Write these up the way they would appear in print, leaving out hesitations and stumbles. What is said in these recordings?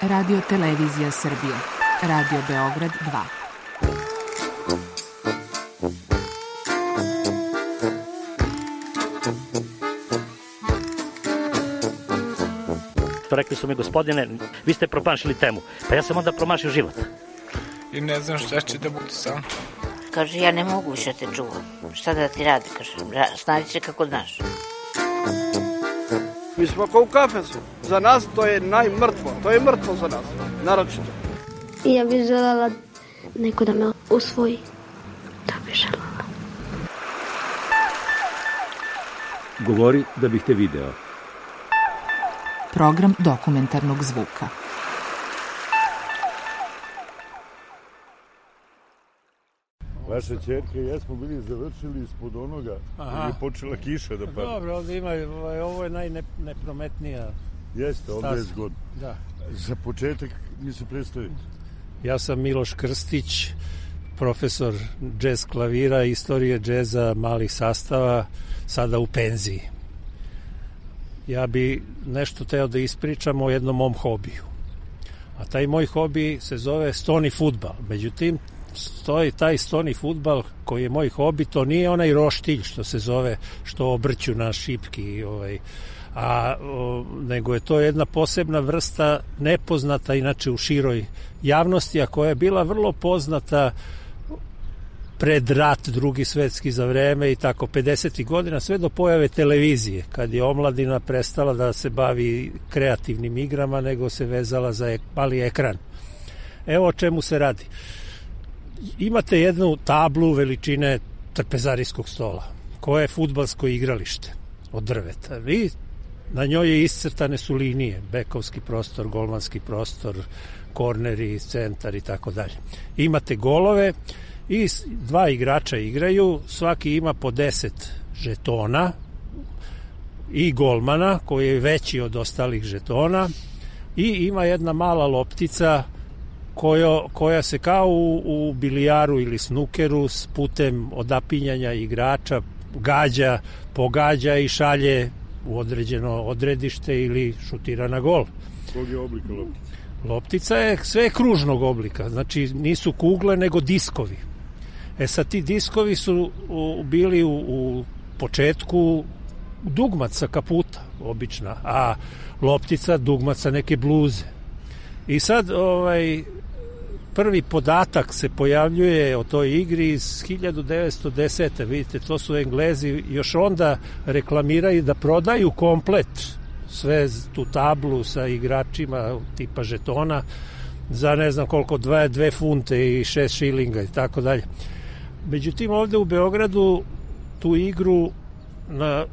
Radio Televizija Srbije. Radio Beograd 2. Rekli su mi, gospodine, vi ste promašili temu. Pa ja sam onda promašio život. I ne znam šta će da bude sam. Kaže, ja ne mogu više te čuvam. Šta da ti radi, kaže, snađi se kako znaš. Mi smo kao u kafesu. Za nas to je najmrtvo. To je mrtvo za nas, naročito. I ja bih želela neko da me usvoji. To bih želela. Govori da bih te video. Program dokumentarnog zvuka. Vaša ćerka i ja smo bili završili ispod onoga gdje je počela kiša da pada. Dobro, ovdje ima, ovo je najneprometnija. Jeste, ovdje je zgodno. Da. Za početak mi se predstaviti. Ja sam Miloš Krstić, profesor džez klavira, istorije džeza malih sastava, sada u penziji. Ja bi nešto teo da ispričam o jednom mom hobiju. A taj moj hobi se zove stoni fudbal. Međutim, taj stoni fudbal koji je moj hobi, to nije onaj roštilj što se zove, što obrću na šipki, nego je to jedna posebna vrsta, nepoznata inače u široj javnosti, a koja je bila vrlo poznata pred rat, Drugi svetski, za vreme i tako 50. godina, sve do pojave televizije, kad je omladina prestala da se bavi kreativnim igrama, nego se vezala za mali ekran. Evo o čemu se radi. Imate jednu tablu veličine trpezarijskog stola, koje je fudbalsko igralište od drveta. I na njoj je iscrtane su linije, bekovski prostor, golmanski prostor, korneri, centar i tako dalje. Imate golove i dva igrača igraju, svaki ima po 10 žetona i golmana koji je veći od ostalih žetona i ima jedna mala loptica koja se kao u bilijaru ili snukeru s putem odapinjanja igrača gađa, pogađa i šalje u određeno odredište ili šutira na gol. Kog je oblika loptica? Loptica je sve kružnog oblika, znači nisu kugle nego diskovi. Sad ti diskovi su bili u početku dugmac sa kaputa, obična, a loptica dugmac sa neke bluze. I sad prvi podatak se pojavljuje o toj igri iz 1910. Vidite, to su Englezi još onda reklamiraju da prodaju komplet sve tu tablu sa igračima tipa žetona za ne znam koliko, 2 funte i 6 šilinga i tako dalje. Međutim, ovde u Beogradu tu igru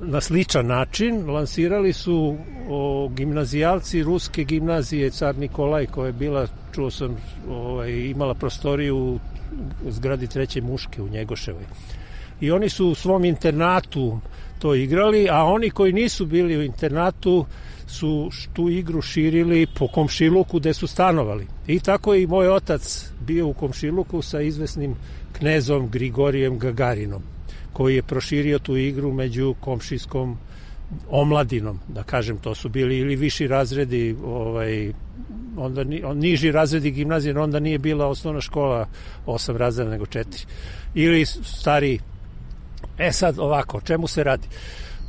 na sličan način lansirali su gimnazijalci ruske gimnazije Car Nikolaj, koja je bila, čuo sam, imala prostoriju u zgradi Treće Muške u Njegoševoj. I oni su u svom internatu to igrali, a oni koji nisu bili u internatu su tu igru širili po komšiluku gde su stanovali. I tako je i moj otac bio u komšiluku sa izvesnim knezom Grigorijem Gagarinom, koji je proširio tu igru među komšijskom omladinom, da kažem, to su bili ili viši razredi, onda niži razredi gimnazije, onda nije bila osnovna škola 8 razreda nego 4, ili stariji. Sad ovako, o čemu se radi?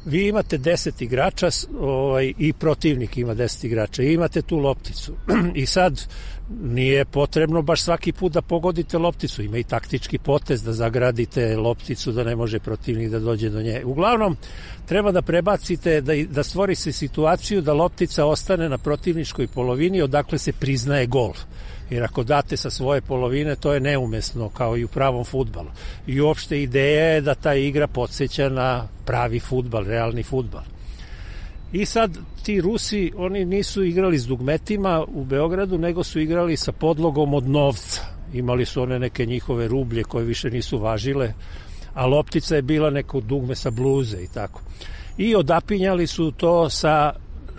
Vi imate 10 igrača i protivnik ima 10 igrača i imate tu lopticu i sad nije potrebno baš svaki put da pogodite lopticu, ima i taktički potez da zagradite lopticu da ne može protivnik da dođe do nje. Uglavnom, treba da prebacite, da stvori se situaciju da loptica ostane na protivničkoj polovini odakle se priznaje gol. Jer ako date sa svoje polovine, to je neumesno, kao i u pravom fudbalu. I uopšte ideja je da ta igra podsjeća na pravi fudbal, realni fudbal. I sad ti Rusi, oni nisu igrali s dugmetima u Beogradu, nego su igrali sa podlogom od novca. Imali su one neke njihove rublje koje više nisu važile, a loptica je bila neko dugme sa bluze i tako. I odapinjali su to sa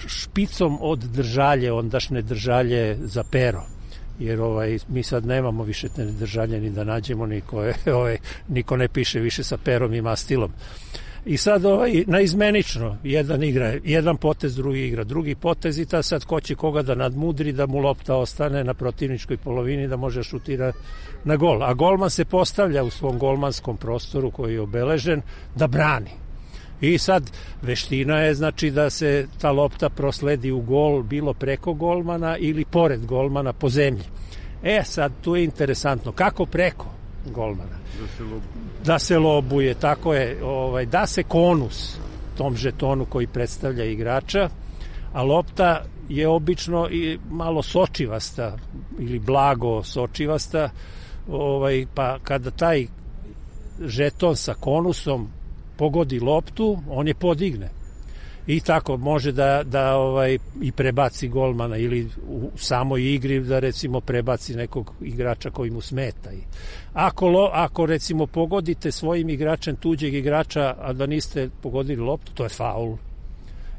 špicom od držalje, ondašnje držalje za pero. Jer mi sad nemamo više te držalje ni da nađemo, niko ne piše više sa perom i mastilom. I sad naizmenično, jedan igra, jedan potez, drugi igra, drugi potez i ta sad ko će koga da nadmudri, da mu lopta ostane na protivničkoj polovini, da može šutira na gol. A golman se postavlja u svom golmanskom prostoru koji je obeležen da brani. I sad veština je znači da se ta lopta prosledi u gol, bilo preko golmana ili pored golmana po zemlji. Sad tu je interesantno, kako preko golmana? Da se lobuje, tako je, da se konus tom žetonu koji predstavlja igrača, a lopta je obično i malo sočivasta ili blago sočivasta, pa kada taj žeton sa konusom pogodi loptu, on je podigne. I tako može da i prebaci golmana ili u samoj igri da recimo prebaci nekog igrača koji mu smeta. Ako recimo pogodite svojim igračem tuđeg igrača, a da niste pogodili loptu, to je faul.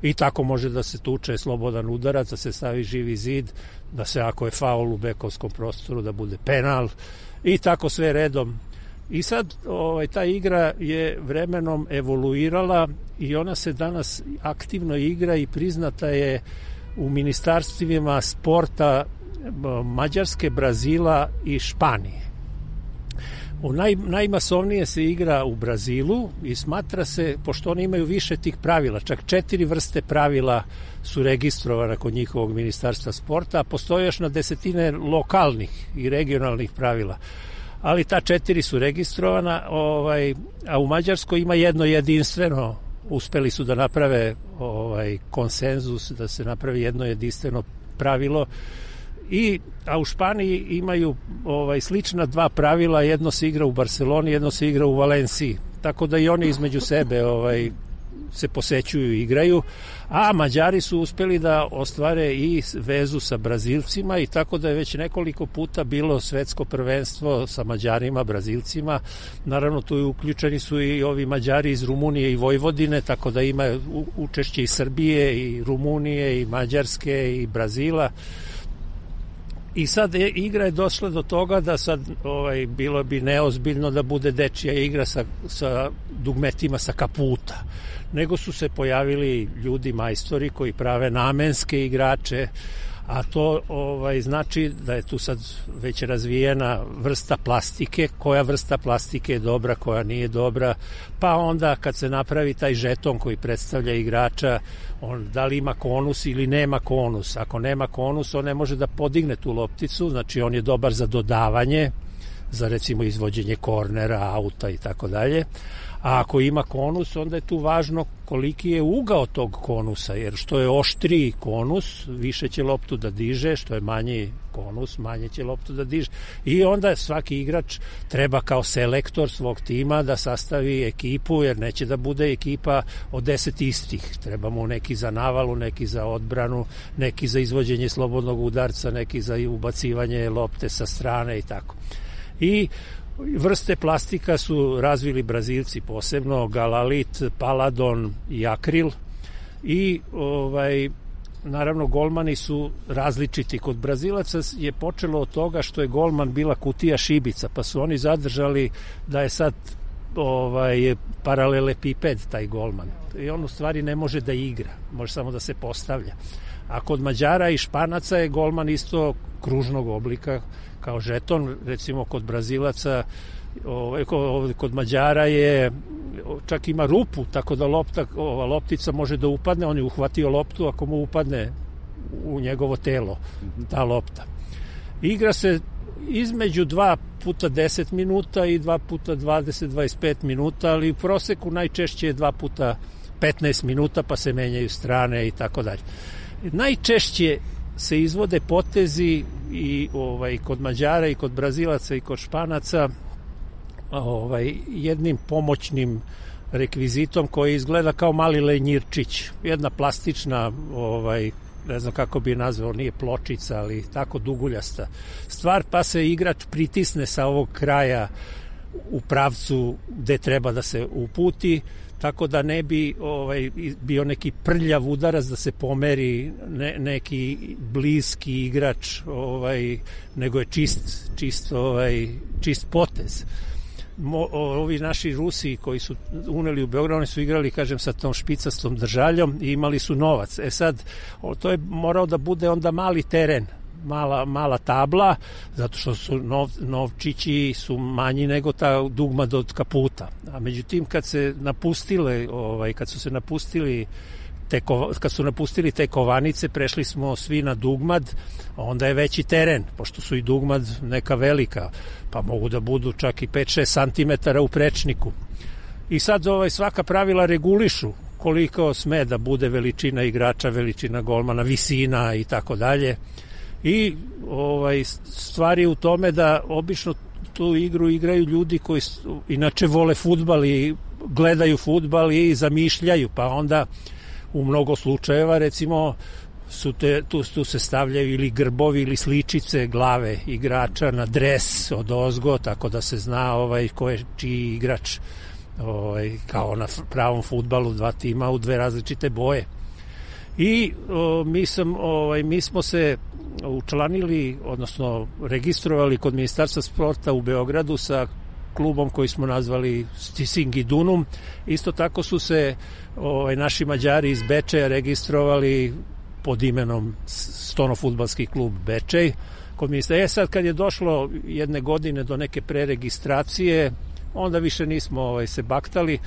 I tako može da se tuče slobodan udarac, da se stavi živi zid, da se ako je faul u bekovskom prostoru da bude penal i tako sve redom. I sad ta igra je vremenom evoluirala i ona se danas aktivno igra i priznata je u ministarstvima sporta Mađarske, Brazila i Španije. Najmasovnije se igra u Brazilu i smatra se, pošto oni imaju više tih pravila, čak 4 vrste pravila su registrovane kod njihovog ministarstva sporta, a postoje još na desetine lokalnih i regionalnih pravila. Ali ta 4 su registrovana, a u Mađarskoj ima jedno jedinstveno, uspeli su da naprave konsenzus, da se napravi jedno jedinstveno pravilo, a u Španiji imaju slična 2 pravila, jedno se igra u Barceloni, jedno se igra u Valenciji, tako da i oni između sebe se posećuju i igraju, a Mađari su uspeli da ostvare i vezu sa Brazilcima i tako da je već nekoliko puta bilo svetsko prvenstvo sa Mađarima, Brazilcima. Naravno tu uključeni su i ovi Mađari iz Rumunije i Vojvodine, tako da ima učešće i Srbije i Rumunije i Mađarske i Brazila. I sad igra je došla do toga da sad bilo bi neozbiljno da bude dečija igra sa dugmetima sa kaputa, nego su se pojavili ljudi majstori koji prave namenske igrače, a to znači da je tu sad već razvijena vrsta plastike, koja vrsta plastike je dobra, koja nije dobra, pa onda kad se napravi taj žeton koji predstavlja igrača, da li ima konus ili nema konus. Ako nema konus, on ne može da podigne tu lopticu, znači on je dobar za dodavanje, za recimo izvođenje kornera, auta i tako dalje. A ako ima konus, onda je tu važno koliki je ugao tog konusa, jer što je oštriji konus, više će loptu da diže, što je manji konus, manje će loptu da diže. I onda svaki igrač treba kao selektor svog tima da sastavi ekipu, jer neće da bude ekipa od 10 istih. Treba mu neki za navalu, neki za odbranu, neki za izvođenje slobodnog udarca, neki za ubacivanje lopte sa strane i tako. I vrste plastika su razvili Brazilci posebno, galalit, paladon i akril i naravno golmani su različiti. Kod Brazilaca je počelo od toga što je golman bila kutija šibica, pa su oni zadržali da je sad paralelepiped taj golman i on u stvari ne može da igra, može samo da se postavlja. A kod Mađara i Španaca je golman isto kružnog oblika kao žeton, recimo kod Brazilaca, kod Mađara je, čak ima rupu, tako da loptica može da upadne, on je uhvatio loptu, ako mu upadne u njegovo telo ta lopta. Igra se između 2 puta 10 minuta i 2 puta 20-25 minuta, ali u proseku najčešće je 2 puta 15 minuta, pa se menjaju strane i tako dalje. Najčešće se izvode potezi i kod Mađara i kod Brazilaca i kod Španaca jednim pomoćnim rekvizitom koji izgleda kao mali lenjirčić, jedna plastična, ne znam kako bi je nazvao, nije pločica, ali tako duguljasta stvar, pa se igrač pritisne sa ovog kraja u pravcu gde treba da se uputi, tako da ne bi bio neki prljav udarac da se pomeri neki bliski igrač, nego je čist potez. ovi naši Rusi koji su uneli u Beograd, oni su igrali, kažem, sa tom špicastom držaljom i imali su novac. Sad, to je morao da bude onda mali teren, mala tabla, zato što su novčići su manji nego ta dugmad od kaputa. A međutim, kad su napustili te kovanice, prešli smo svi na dugmad, onda je veći teren, pošto su i dugmad neka velika, pa mogu da budu čak i 5-6 cm u prečniku. I sad svaka pravila regulišu koliko sme da bude veličina igrača, veličina golmana, visina i tako dalje. I stvar je u tome da obično tu igru igraju ljudi koji inače vole fudbal i gledaju fudbal i zamišljaju, pa onda u mnogo slučajeva, recimo, tu se stavljaju ili grbovi ili sličice glave igrača na dres od ozgo, tako da se zna ko je čiji igrač, kao na pravom fudbalu, dva tima u dve različite boje. I mi smo se učlanili, odnosno registrovali kod Ministarstva sporta u Beogradu sa klubom koji smo nazvali Stising i Dunum. Isto tako su se naši Mađari iz Bečeja registrovali pod imenom Stono-fudbalski klub Bečej. Sad kad je došlo jedne godine do neke preregistracije, onda više nismo se baktali,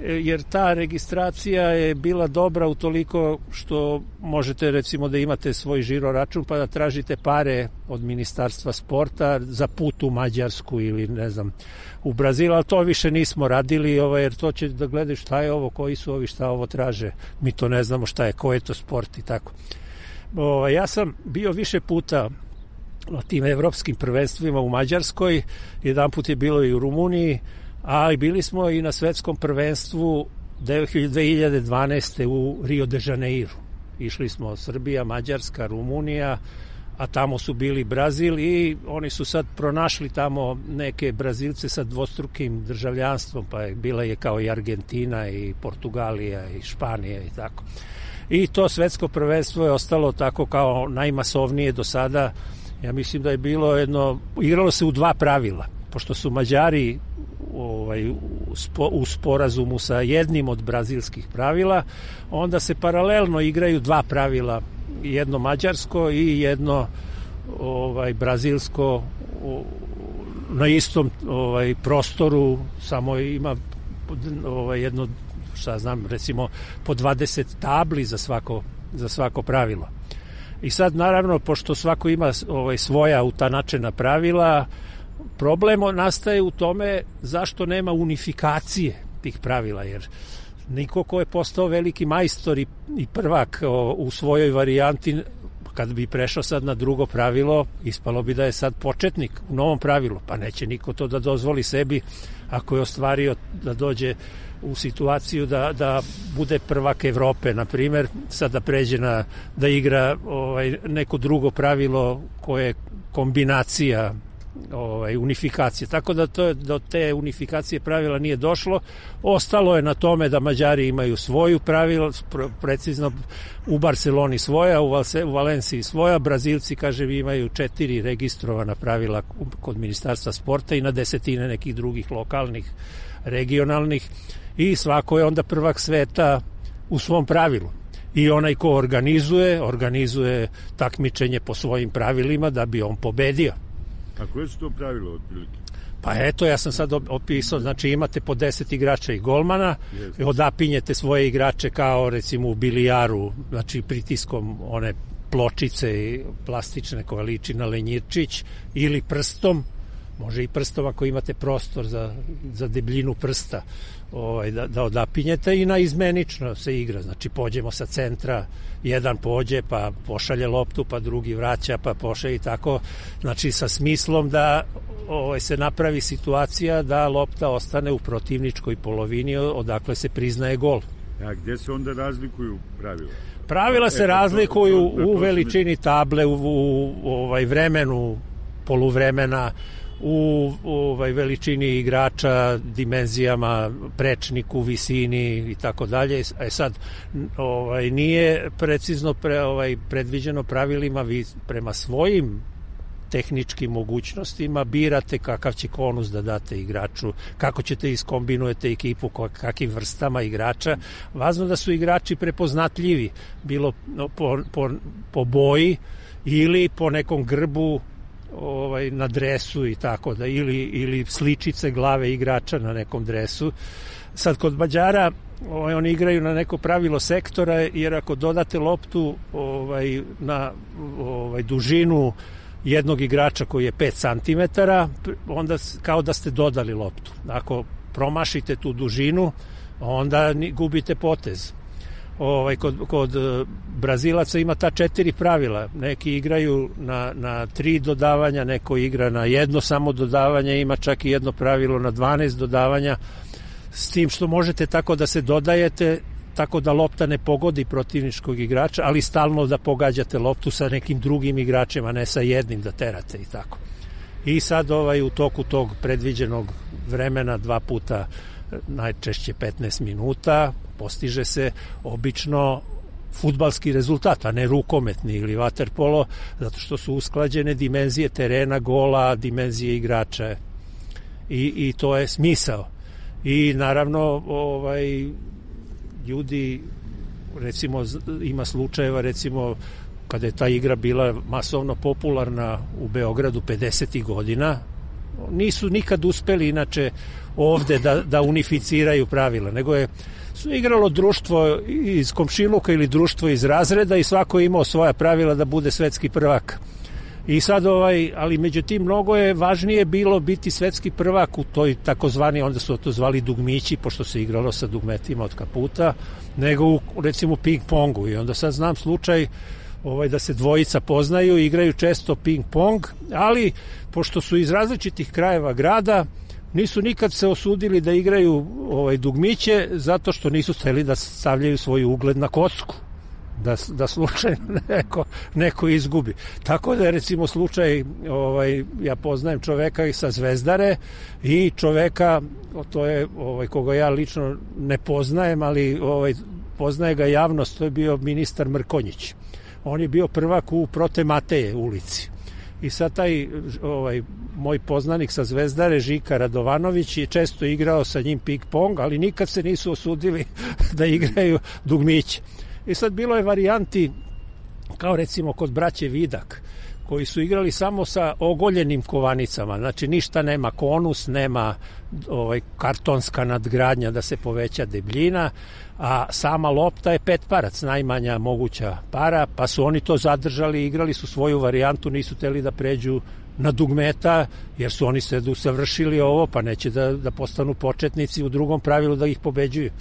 jer ta registracija je bila dobra utoliko što možete, recimo, da imate svoj žiro račun pa da tražite pare od Ministarstva sporta za put u Mađarsku ili ne znam u Brazil, ali to više nismo radili, jer to će da gledaju šta je ovo, koji su ovi, šta ovo traže, mi to ne znamo šta je, ko je to sport i tako. Ja sam bio više puta na tim evropskim prvenstvima u Mađarskoj, jedan put je bilo i u Rumuniji, ali bili smo i na svetskom prvenstvu 2012. u Rio de Janeiro. Išli smo Srbija, Mađarska, Rumunija, a tamo su bili Brazil i oni su sad pronašli tamo neke Brazilce sa dvostrukim državljanstvom, pa bila je kao i Argentina i Portugalija i Španija i tako. I to svetsko prvenstvo je ostalo tako kao najmasovnije do sada. Ja mislim da je bilo igralo se u dva pravila, pošto su Mađari u sporazumu sa jednim od brazilskih pravila, onda se paralelno igraju dva pravila, jedno mađarsko i jedno brazilsko na istom prostoru, samo ima jedno, recimo po 20 tabli za svako pravilo. I sad, naravno, pošto svako ima svoja utanačena pravila, problem nastaje u tome zašto nema unifikacije tih pravila, jer niko ko je postao veliki majstor i prvak u svojoj varijanti, kad bi prešao sad na drugo pravilo, ispalo bi da je sad početnik u novom pravilu, pa neće niko to da dozvoli sebi ako je ostvario da dođe u situaciju da bude prvak Evrope, na primjer, sad da pređe da igra neko drugo pravilo koje je kombinacija unifikacije. Tako da do te unifikacije pravila nije došlo. Ostalo je na tome da Mađari imaju svoju pravila, precizno u Barceloni svoja, u Valenciji svoja, Brazilci, kažem, imaju 4 registrovana pravila kod Ministarstva sporta i na desetine nekih drugih lokalnih, regionalnih, i svako je onda prvak sveta u svom pravilu. I onaj ko organizuje takmičenje po svojim pravilima da bi on pobedio. A koje su to pravilo otprilike? Pa eto, ja sam sad opisao, znači imate po 10 igrača i golmana, odapinjete svoje igrače kao recimo u bilijaru, znači pritiskom one pločice plastične koja liči na lenjirčić, ili prstom, može i prstom ako imate prostor za debljinu prsta, da odapinjete, i naizmenično se igra, znači pođemo sa centra, jedan pođe pa pošalje loptu, pa drugi vraća, pa pošalje i tako, znači sa smislom da se napravi situacija da lopta ostane u protivničkoj polovini odakle se priznaje gol. A gde se onda razlikuju pravila? Pravila se razlikuju u veličini table, u vremenu poluvremena, u veličini igrača, dimenzijama, prečniku, visini i tako dalje. Sad nije precizno predviđeno pravilima, vi prema svojim tehničkim mogućnostima birate kakav će konus da date igraču, kako ćete iskombinujete ekipu, kakvim vrstama igrača. Važno da su igrači prepoznatljivi, bilo po boji ili po nekom grbu na dresu i tako da, ili sličice glave igrača na nekom dresu. Sad kod Mađara oni igraju na neko pravilo sektora, jer ako dodate loptu na dužinu jednog igrača koji je 5 cm, onda kao da ste dodali loptu. Ako promašite tu dužinu, onda gubite potez. Kod Brazilaca ima ta 4 pravila. Neki igraju na 3 dodavanja, neko igra na 1 samo dodavanje, ima čak i jedno pravilo na 12 dodavanja, s tim što možete tako da se dodajete, tako da lopta ne pogodi protivničkog igrača, ali stalno da pogađate loptu sa nekim drugim igračem, a ne sa jednim da terate i tako. I sad u toku tog predviđenog vremena 2 puta, najčešće 15 minuta, postiže se obično fudbalski rezultat, a ne rukometni ili vaterpolo, zato što su usklađene dimenzije terena, gola, dimenzije igrača i to je smisao. I naravno ljudi, recimo ima slučajeva, recimo kada je ta igra bila masovno popularna u Beogradu 50. godina, nisu nikad uspeli inače ovde da unificiraju pravila, nego su igralo društvo iz komšiluka ili društvo iz razreda i svako je imao svoja pravila da bude svetski prvak. I sad ali međutim mnogo je važnije bilo biti svetski prvak u toj takozvani, onda su to zvali dugmići, pošto se igralo sa dugmetima od kaputa, nego u recimo ping pongu. I onda sad znam slučaj da se dvojica poznaju, igraju često ping pong, ali pošto su iz različitih krajeva grada, nisu nikad se osudili da igraju dugmiće, zato što nisu hteli da stavljaju svoj ugled na kocku, da slučajno neko izgubi. Tako da je recimo slučaj, ja poznajem čoveka i sa Zvezdare i čoveka, to je koga ja lično ne poznajem, ali poznaje ga javnost, to je bio ministar Mrkonjić. On je bio prvak u Prote Mateje ulici. I sad taj moj poznanik sa Zvezdare, Žika Radovanović, je često igrao sa njim ping pong, ali nikad se nisu osudili da igraju dugmiće. I sad bilo je varijanti, kao recimo kod braće Vidak, koji su igrali samo sa ogoljenim kovanicama, znači ništa nema konus, nema kartonska nadgradnja da se poveća debljina, a sama lopta je 5 parac, najmanja moguća para, pa su oni to zadržali, igrali su svoju varijantu, nisu hteli da pređu na dugmeta, jer su oni se usavršili ovo, pa neće da postanu početnici u drugom pravilu da ih pobeđuju.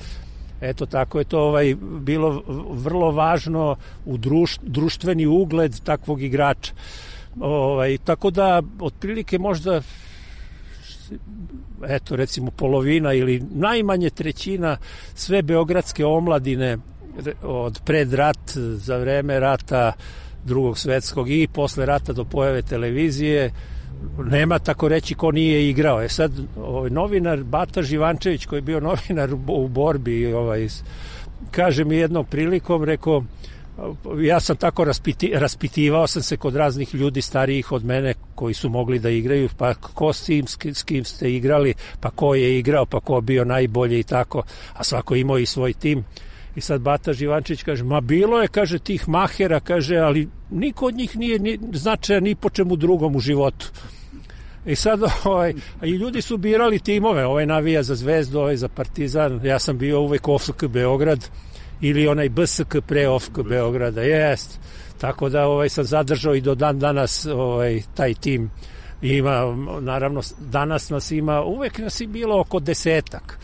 Eto, tako je to bilo vrlo važno u društveni ugled takvog igrača. Tako da, otprilike možda recimo polovina ili najmanje trećina sve beogradske omladine od pred rat, za vreme rata Drugog svetskog i posle rata do pojave televizije, nema tako reći ko nije igrao. Sad novinar Bata Živančević, koji je bio novinar u borbi, kaže mi jednom prilikom, rekao, ja sam tako raspitivao sam se kod raznih ljudi starijih od mene koji su mogli da igraju, pa ko s kim ste igrali, pa ko je igrao, pa ko bio najbolji i tako, a svako imao i svoj tim. I sad Bata Živančić kaže, ma bilo je, kaže, tih mahera, kaže, ali niko od njih nije značajan ni po čemu drugom u životu. I sad i ljudi su birali timove, navija za Zvezdu, za Partizan, ja sam bio uvek OFK Beograd ili onaj BSK pre OFK Beograda, jest. Tako da sam zadržao i do dan danas taj tim. Ima, naravno, danas nas ima, uvek nas je bilo oko 10-ak.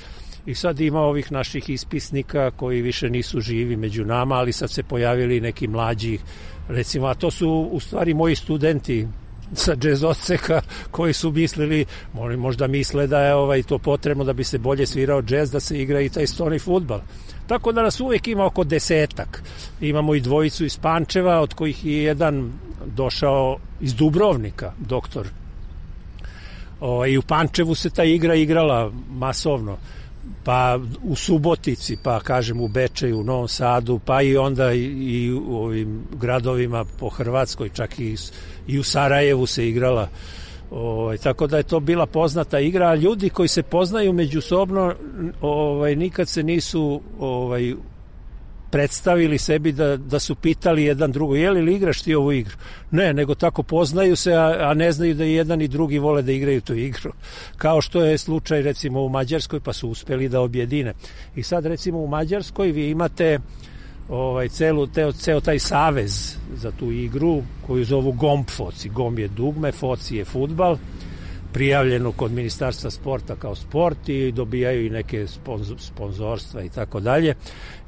I sad ima ovih naših ispisnika koji više nisu živi među nama, ali sad se pojavili neki mlađi, recimo, a to su u stvari moji studenti sa džez odseka koji su mislili, možda misle da je to potrebno da bi se bolje svirao džez, da se igra i taj stoni fudbal. Tako da nas uvijek ima oko 10-ak. Imamo i dvojicu iz Pančeva, od kojih je jedan došao iz Dubrovnika, doktor. I u Pančevu se ta igra igrala masovno. pa u Subotici, pa kažem u Bečeju, u Novom Sadu, pa i onda i u ovim gradovima po Hrvatskoj, čak i u Sarajevu se igrala. Tako da je to bila poznata igra, a ljudi koji se poznaju međusobno nikad se nisu predstavili sebi da su pitali jedan drugo, je li igraš ti ovu igru? Ne, nego tako poznaju se, a ne znaju da jedan i drugi vole da igraju tu igru. Kao što je slučaj recimo u Mađarskoj, pa su uspeli da objedine. I sad recimo u Mađarskoj vi imate ceo taj savez za tu igru koju zovu GOMB foci. GOMB je dugme, foci je fudbal, prijavljeno kod Ministarstva sporta kao sport i dobijaju i neke sponzorstva i tako dalje.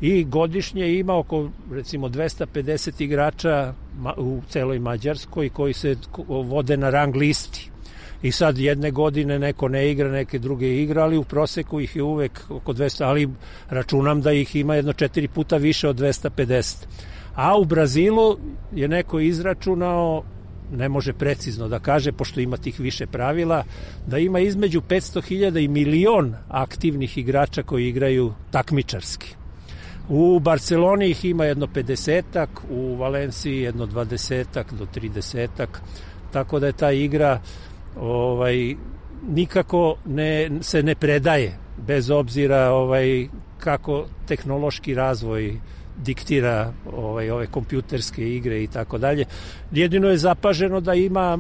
I godišnje ima oko recimo 250 igrača u celoj Mađarskoj koji se vode na rang listi. I sad jedne godine neko ne igra, neke druge igra, ali u proseku ih je uvek oko 200, ali računam da ih ima jedno 4 puta više od 250. A u Brazilu je neko izračunao, ne može precizno da kaže, pošto ima tih više pravila, da ima između 500.000 i milion aktivnih igrača koji igraju takmičarski. U Barceloni ih ima jedno 50-ak, u Valenciji jedno 20-ak do 30-ak, tako da je ta igra nikako se ne predaje, bez obzira kako tehnološki razvoj diktira ove kompjuterske igre i tako dalje. Jedino je zapaženo da ima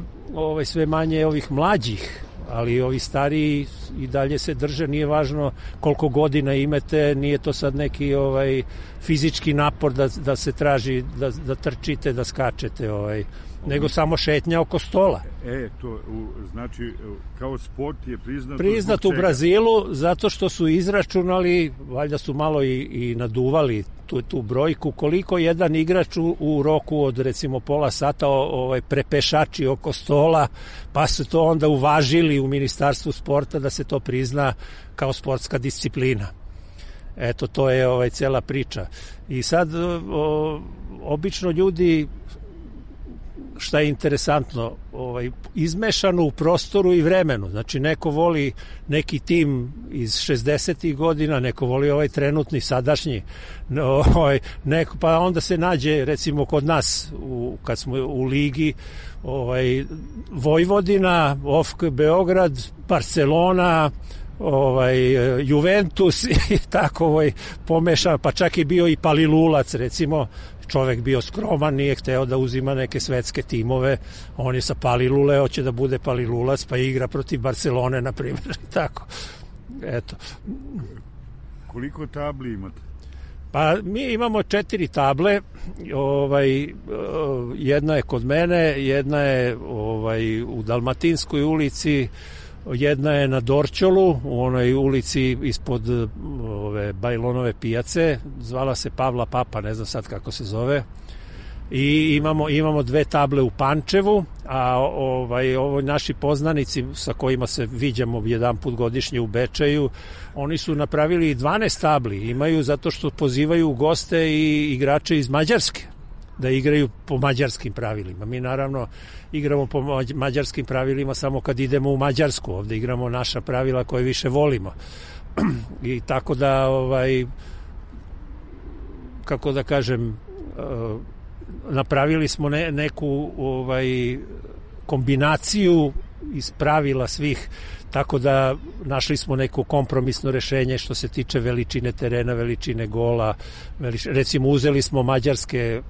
sve manje ovih mlađih, ali ovi stariji i dalje se drže, nije važno koliko godina imate, nije to sad neki fizički napor da se traži, da trčite, da skačete, nego samo šetnja oko stola. To znači kao sport je priznat u Brazilu zato što su izračunali, valjda su malo i naduvali tu brojku, koliko jedan igrač u roku od recimo pola sata prepešači oko stola, pa su to onda uvažili u Ministarstvu sporta da se to prizna kao sportska disciplina. Eto, to je cela priča. I sad obično ljudi, šta je interesantno, izmešano u prostoru i vremenu. Znači, neko voli neki tim iz 60-ih godina, neko voli trenutni, sadašnji, pa onda se nađe, recimo, kod nas, kad smo u ligi, Vojvodina, OFK Beograd, Barcelona, Juventus i tako pomešan, pa čak i bio i Palilulac, recimo, čovek bio skroman, nije hteo da uzima neke svetske timove, on je sa Palilule, hoće da bude Palilulac, pa igra protiv Barcelone, na primjer, tako. Eto. Koliko tabli imate? Pa mi imamo 4 table, jedna je kod mene, jedna je u Dalmatinskoj ulici, jedna je na Dorćolu, u onoj ulici ispod Bajlonove pijace, zvala se Pavla Papa, ne znam sad kako se zove, i imamo 2 table u Pančevu, a ovo naši poznanici sa kojima se viđamo jedan put godišnje u Bečeju, oni su napravili 12 tabli, imaju zato što pozivaju goste i igrače iz Mađarske da igraju po mađarskim pravilima. Mi naravno igramo po mađarskim pravilima samo kad idemo u Mađarsku, ovde igramo naša pravila koje više volimo. I tako da kako da kažem, napravili smo neku kombinaciju iz pravila svih, tako da našli smo neko kompromisno rešenje što se tiče veličine terena, veličine gola. Recimo, uzeli smo mađarske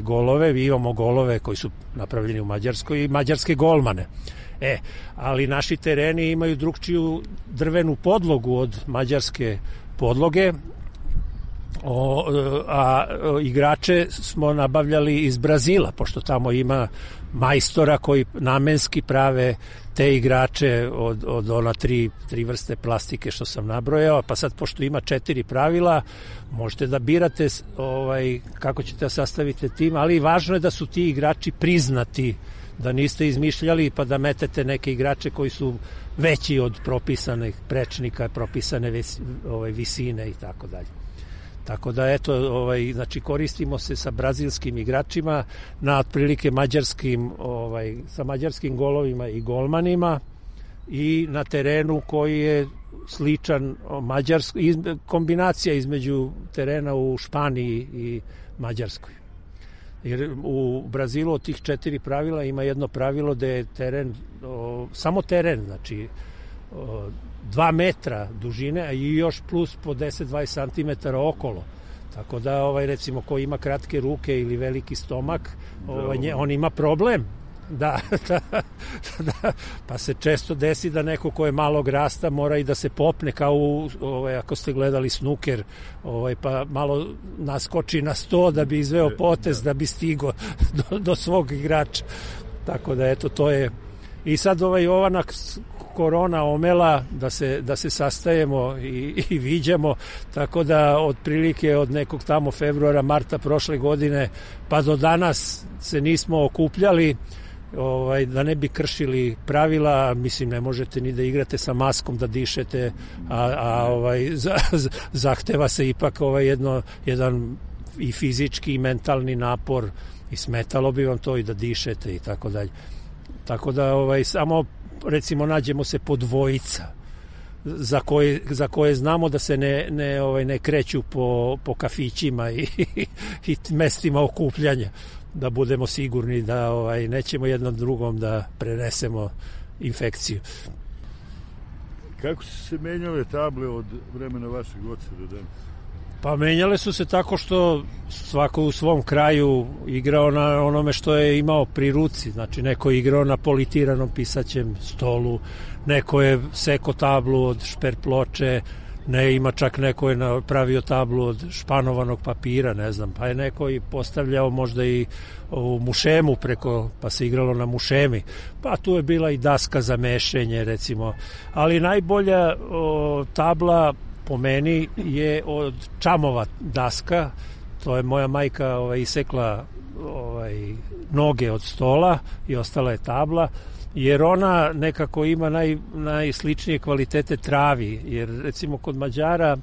golove, mi imamo golove koji su napravljeni u Mađarskoj i mađarske golmane. Ali naši tereni imaju drugčiju drvenu podlogu od mađarske podloge, a igrače smo nabavljali iz Brazila, pošto tamo ima majstora koji namenski prave te igrače od ona tri vrste plastike što sam nabrojao, pa sad pošto ima 4 pravila, možete da birate kako ćete da sastavite tim, ali važno je da su ti igrači priznati, da niste izmišljali pa da metete neke igrače koji su veći od propisanih prečnika, propisane visine i tako dalje. Tako da eto, znači koristimo se sa brazilskim igračima na otprilike sa mađarskim golovima i golmanima i na terenu koji je sličan kombinacija između terena u Španiji i Mađarskoj. Jer u Brazilu od tih 4 pravila ima jedno pravilo da je teren, samo teren, znači 2 metra dužine, a i još plus po 10-20 cm okolo. Tako da, recimo, ko ima kratke ruke ili veliki stomak, on ima problem. Da, pa se često desi da neko ko je malog rasta mora i da se popne kao ako ste gledali snuker, pa malo naskoči na 100 da bi izveo potez, da bi stigo do svog igrača. Tako da, eto, to je. I sad ova korona omela da se sastajemo i viđamo, tako da otprilike od nekog tamo februara, marta prošle godine pa do danas se nismo okupljali, da ne bi kršili pravila. Mislim, ne možete ni da igrate sa maskom, da dišete, zahteva se ipak jedan i fizički i mentalni napor i smetalo bi vam to i da dišete i tako dalje. Tako da samo recimo nađemo se po dvojica za koje znamo da se ne kreću po kafićima i mestima okupljanja, da budemo sigurni da nećemo jednom drugom da prenesemo infekciju. Kako su se menjale table od vremena vašeg oca do danas? Pa menjale su se tako što svako u svom kraju igrao na onome što je imao pri ruci. Znači, neko je igrao na politiranom pisaćem stolu, neko je seko tablu od šper ploče, ima čak neko je napravio tablu od španovanog papira, ne znam, pa je neko i postavljao možda i u mušemu pa se igralo na mušemi, pa tu je bila i daska za mešenje, recimo. Ali najbolja tabla po meni je od čamova daska. To je moja majka isekla noge od stola i ostala je tabla, jer ona nekako ima najsličnije kvalitete travi, jer recimo kod Mađara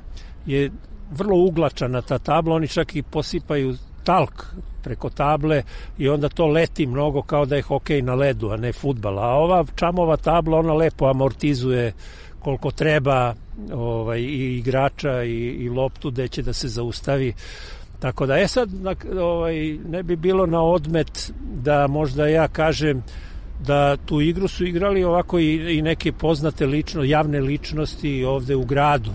je vrlo uglačana ta tabla, oni čak i posipaju talk preko table i onda to leti mnogo kao da je hokej na ledu, a ne fudbal. A ova čamova tabla, ona lepo amortizuje koliko treba i igrača i loptu gde će da se zaustavi. Tako da, sad ne bi bilo na odmet da možda ja kažem da tu igru su igrali ovako i neke poznate javne ličnosti ovde u gradu.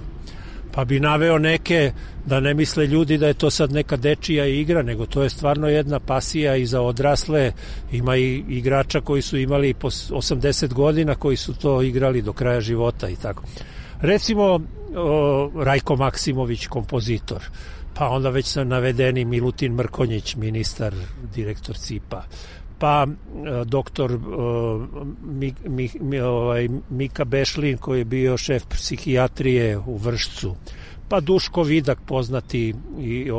Pa bi naveo neke, da ne misle ljudi da je to sad neka dečija igra, nego to je stvarno jedna pasija i za odrasle. Ima i igrača koji su imali po 80 godina koji su to igrali do kraja života i tako. Recimo Rajko Maksimović, kompozitor, pa onda već sam navedeni Milutin Mrkonjić, ministar, direktor CIP-a, pa doktor Mika Bešlin koji je bio šef psihijatrije u Vršcu, pa Duško Vidak poznati i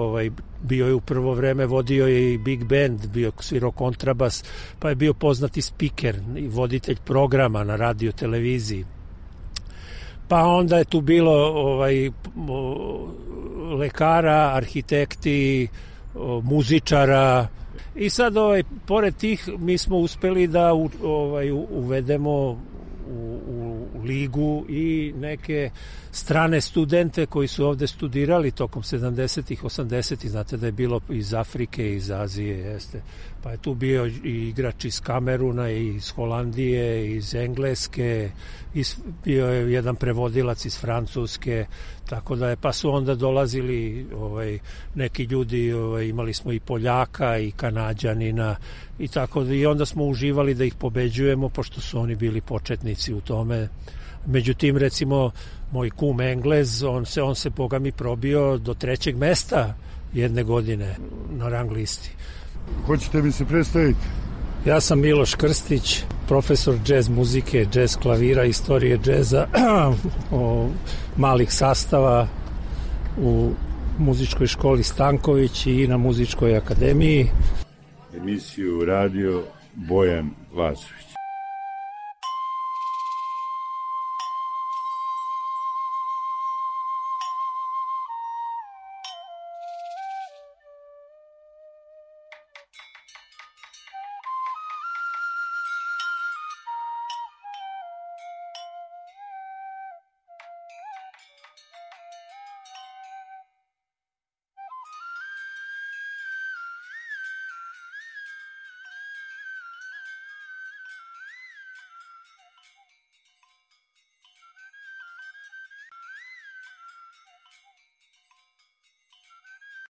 bio je u prvo vreme, vodio je i Big Band, bio svirao kontrabas, pa je bio poznati spiker i voditelj programa na radio televiziji. Pa onda je tu bilo lekara, arhitekti, muzičara. I sad, pored tih, mi smo uspeli da uvedemo u ligu i neke strane studente koji su ovde studirali tokom 70-ih, 80-ih. Znate da je bilo iz Afrike, iz Azije, jeste. Pa je tu bio i igrač iz Kameruna, iz Holandije, iz Engleske, bio je jedan prevodilac iz Francuske, tako da pa su onda dolazili neki ljudi, imali smo i Poljaka i Kanađanina i tako da, i onda smo uživali da ih pobeđujemo, pošto su oni bili početnici u tome. Međutim, recimo, moj kum Englez, on se boga mi probio do 3. mesta jedne godine na rang listi. Hoćete mi se predstaviti? Ja sam Miloš Krstić, profesor džez muzike, džez klavira, istorije džeza, malih sastava u muzičkoj školi Stanković i na muzičkoj akademiji. Emisiju radio Bojan Lazović.